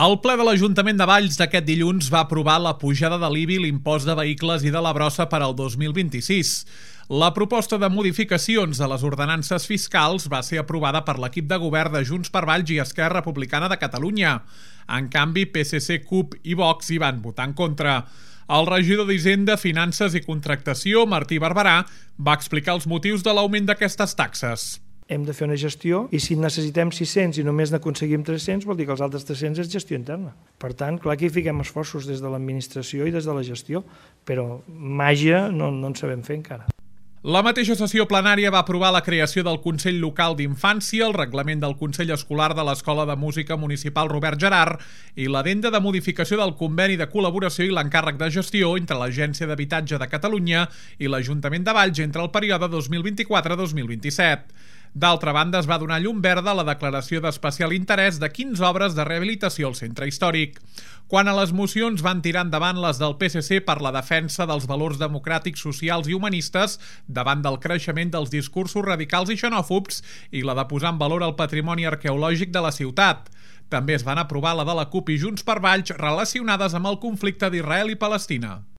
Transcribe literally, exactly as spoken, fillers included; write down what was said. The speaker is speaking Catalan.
El ple de l'Ajuntament de Valls d'aquest dilluns va aprovar la pujada de l'I B I, l'impost de vehicles i de la brossa per al dos mil vint-i-sis. La proposta de modificacions de les ordenances fiscals va ser aprovada per l'equip de govern de Junts per Valls i Esquerra Republicana de Catalunya. En canvi, P S C, C U P i Vox hi van votar en contra. El regidor d'Hisenda, Finances i Contractació, Martí Barberà, va explicar els motius de l'augment d'aquestes taxes. Hem de fer una gestió i si necessitem sis-cents i només n'aconseguim tres-cents vol dir que els altres tres-cents és gestió interna. Per tant, clar que hi fiquem esforços des de l'administració i des de la gestió, però màgia no, no en sabem fer encara. La mateixa sessió plenària va aprovar la creació del Consell Local d'Infància, el reglament del Consell Escolar de l'Escola de Música Municipal Robert Gerard i l'addenda de modificació del conveni de col·laboració i l'encàrrec de gestió entre l'Agència d'Habitatge de Catalunya i l'Ajuntament de Valls entre el període dos mil vint-i-quatre a dos mil vint-i-set. D'altra banda, es va donar llum verda a la declaració d'especial interès de quinze obres de rehabilitació al centre històric. Quant a les mocions, van tirar endavant les del P S C per la defensa dels valors democràtics, socials i humanistes davant del creixement dels discursos radicals i xenòfobs i la de posar en valor el patrimoni arqueològic de la ciutat. També es van aprovar la de la C U P i Junts per Valls relacionades amb el conflicte d'Israel i Palestina.